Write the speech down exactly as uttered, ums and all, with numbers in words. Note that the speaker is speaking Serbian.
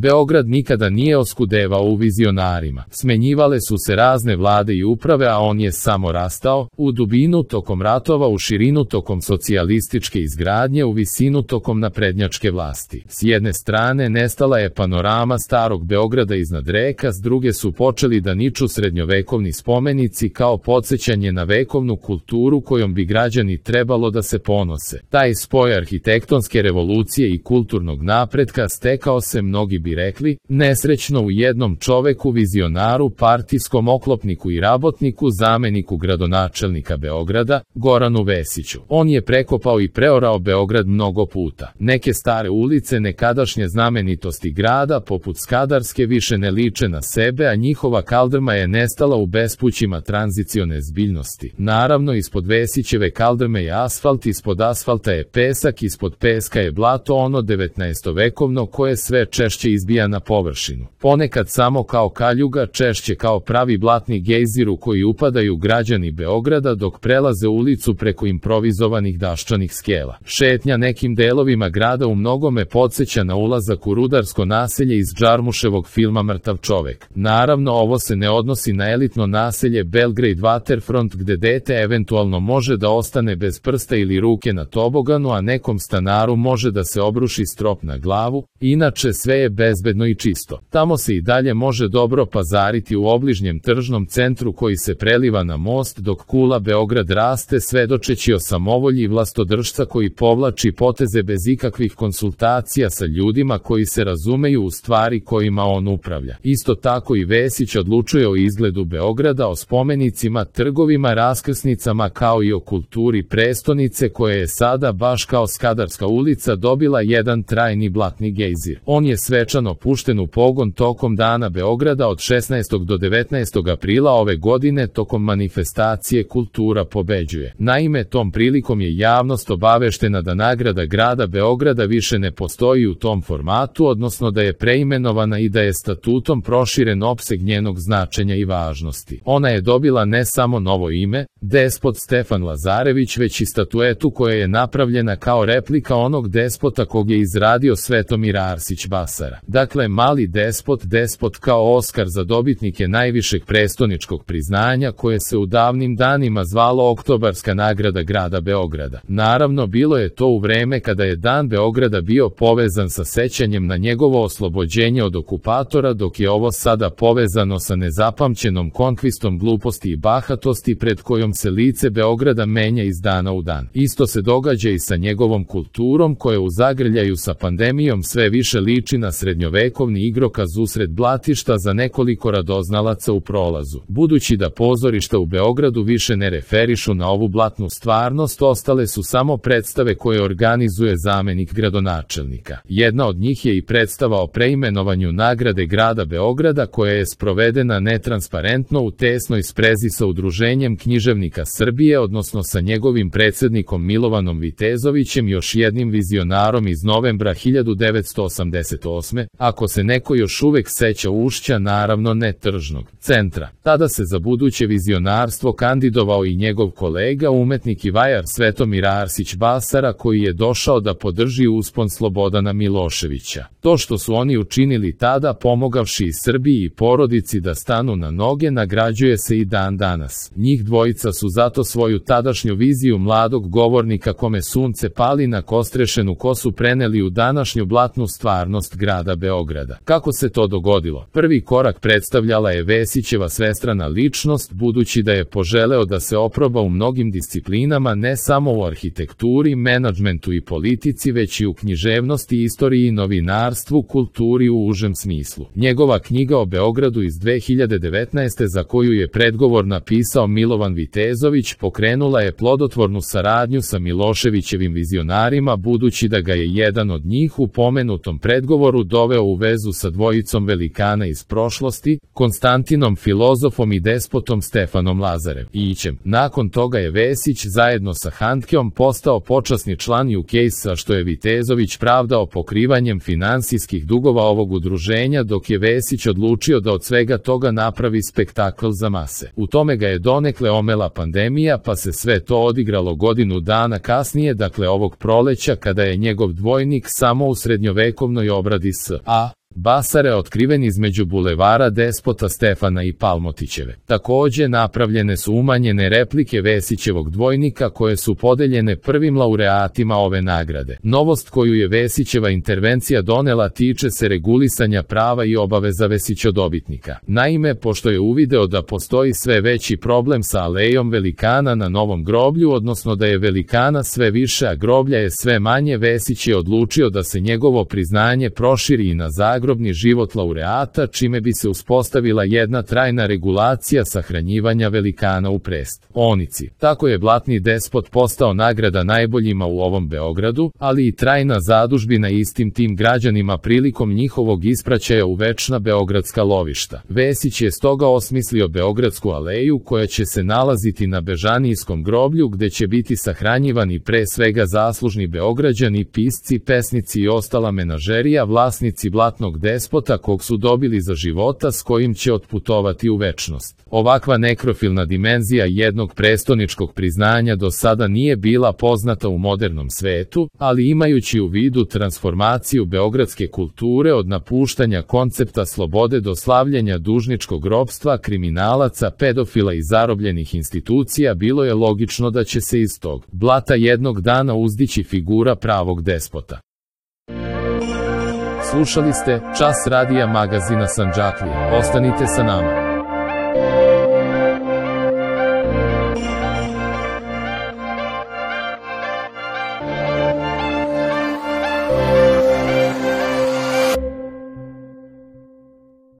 Beograd nikada nije oskudevao u vizionarima. Smenjivale su se razne vlade i uprave, a on je samo rastao, u dubinu tokom ratova, u širinu tokom socijalističke izgradnje, u visinu tokom naprednjačke vlasti. S jedne strane nestala je panorama starog Beograda iznad reka, s druge su počeli da niču srednjovekovni spomenici kao podsjećanje na vekovnu kulturu kojom bi građani trebalo da se ponose. Taj spoj arhitektonske revolucije i kulturnog napretka stekao se, mnogi bi rekli, nesrećno u jednom čoveku, vizionaru, partijskom oklopniku i rabotniku, zameniku gradonačelnika Beograda, Goranu Vesiću. On je prekopao i preorao Beograd mnogo puta. Neke stare ulice nekadašnje znamenitosti grada, poput Skadarske, više ne liče na sebe, a njihova kaldrma je nestala u bespućima tranzicione zbiljnosti. Naravno, ispod Vesićeve kaldrme je asfalt, ispod asfalta je pesak, ispod peska je blato, ono devetnaestovekovno koje sve češće izbija na površinu. Ponekad samo kao kaljuga, češće kao pravi blatni gejzir u koji upadaju građani Beograda dok prelaze ulicu preko improvizovanih daščanih skela. Šetnja nekim delovima grada u mnogome podsjeća na ulazak u rudarsko naselje iz Džarmuševog filma Mrtav čovek. Naravno, ovo se ne odnosi na elitno naselje Belgrade Waterfront gde dete eventualno može da ostane bez prsta ili ruke na toboganu, a nekom stanaru može da se obruši strop na glavu. Inače sve je bezbedno i čisto. Tamo se i dalje može dobro pazariti u obližnjem tržnom centru koji se preliva na most dok kula Beograd raste, svedočeći o samovolji vlastodržca koji povlači poteze bez ikakvih konsultacija sa ljudima koji se razumeju u stvari kojima on upravlja. Isto tako i Vesić odlučuje o izgledu Beograda, o spomenicima, trgovima, raskrsnicama, kao i o kulturi prestonice koja je sada, baš kao Skadarska ulica, dobila jedan trajni blatni gejzir. On je svečano pušten u pogon tokom Dana Beograda od šesnaestog do devetnaestog aprila ove godine tokom manifestacije Kultura pobeđuje. Naime, tom prilikom je javnost obaveštena da nagrada grada Beograda više ne postoji u tom formatu, odnosno da je preimenovana i da je statutom proširen opseg njenog značenja i važnosti. Ona je dobila ne samo novo ime, despot Stefan Lazarević, već i statuetu koja je napravljena kao replika onog despota kog je izradio Svetomir Arsić Basara. Dakle, mali despot, despot kao Oskar za dobitnike najvišeg prestoničkog priznanja koje se u davnim danima zvalo Oktobarska nagrada grada Beograda. Naravno, bilo je to u vreme kada je Dan Beograda bio povezan sa sećanjem na njegovo oslobođenje od okupatora, dok je ovo sada povezano sa nezapamćenom konkvistom gluposti i bahatosti pred kojom se lice Beograda menja iz dana u dan. Isto se događa i sa njegovom kulturom koja u zagrljaju sa pandemijom sve više liči na srednjovekovni igrokaz usred blatišta za nekoliko radoznalaca u prolazu. Budući da pozorišta u Beogradu više ne referišu na ovu blatnu stvarnost, ostale su samo predstave koje organizuje zamenik gradonačelnika. Jedna od njih je i predstava o preimenovanju nagrade grada Beograda koja je sprovedena netransparentno u tesnoj sprezi sa Udruženjem književnika Srbije, odnosno sa njegovim predsednikom Milovanom Vitezovićem, još jednim vizionarom iz novembra hiljadu devetsto osamdeset osme, ako se neko još uvek seća Ušća, naravno ne tržnog centra. Tada se za buduće vizionarstvo kandidovao i njegov kolega, umetnik i vajar Svetomir Arsić Basara, koji je došao da podrži uspon Slobodana Miloševića. To što su oni učinili tada, pomogavši i Srbiji i porodici da stanu na noge, nagrađuje se i dan danas. Njih dvojica su zato svoju tadašnju viziju mladog govornika kome sunce pali na kostrešenu kosu preneli u današnju blatnu stvarnost grada Beograda. Kako se to dogodilo? Prvi korak predstavljala je Vesićeva svestrana ličnost, budući da je poželeo da se oproba u mnogim disciplinama, ne samo u arhitekturi, menadžmentu i politici, već i u književnosti, istoriji i novinarstvu, kulturi u užem smislu. Njegova knjiga o Beogradu iz dve hiljade devetnaeste, za koju je predgovor napisao Milovan Vitezović, pokrenula je plodotvornu saradnju sa Miloševićevim vizionarima, budući da ga je jedan od njih u pomenutom predgovoru doveo u vezu sa dvojicom velikana iz prošlosti, Konstantinom filozofom i despotom Stefanom Lazarevićem. Nakon toga je Vesić zajedno sa Handkeom postao počasni član U K S-a, što je Vitezović pravdao pokrivanjem finansijskih dugova ovog udruženja, dok je Vesić odlučio da od svega toga napravi spektakl za mase. U tome ga je donekle omela pandemija, pa se sve to odigralo godinu dana kasnije, dakle ovog proleća, kada je njegov dvojnik samo u srednjovekovnoj obradi s a Basara otkriven između bulevara Despota Stefana i Palmotićeve. Takođe napravljene su umanjene replike Vesićevog dvojnika koje su podeljene prvim laureatima ove nagrade. Novost koju je Vesićeva intervencija donela tiče se regulisanja prava i obaveza Vesićodobitnika. Naime, pošto je uvideo da postoji sve veći problem sa alejom velikana na Novom groblju, odnosno da je velikana sve više, a groblja je sve manje, Vesić je odlučio da se njegovo priznanje proširi i na zagrobni život laureata, čime bi se uspostavila jedna trajna regulacija sahranjivanja velikana u prestonici. Tako je Blatni despot postao nagrada najboljima u ovom Beogradu, ali i trajna zadužbina istim tim građanima prilikom njihovog ispraćaja u večna beogradska lovišta. Vesić je stoga osmislio Beogradsku aleju koja će se nalaziti na Bežanijskom groblju, gde će biti sahranjivani pre svega zaslužni Beograđani, pisci, pesnici i ostala menažerija, vlasnici Blatnog despota kog su dobili za života, s kojim će otputovati u večnost. Ovakva nekrofilna dimenzija jednog prestoničkog priznanja do sada nije bila poznata u modernom svetu, ali imajući u vidu transformaciju beogradske kulture od napuštanja koncepta slobode do slavljenja dužničkog ropstva, kriminalaca, pedofila i zarobljenih institucija, bilo je logično da će se iz tog blata jednog dana uzdići figura pravog despota. Slušali ste Čas radija magazina Sandžaklija. Ostanite sa nama.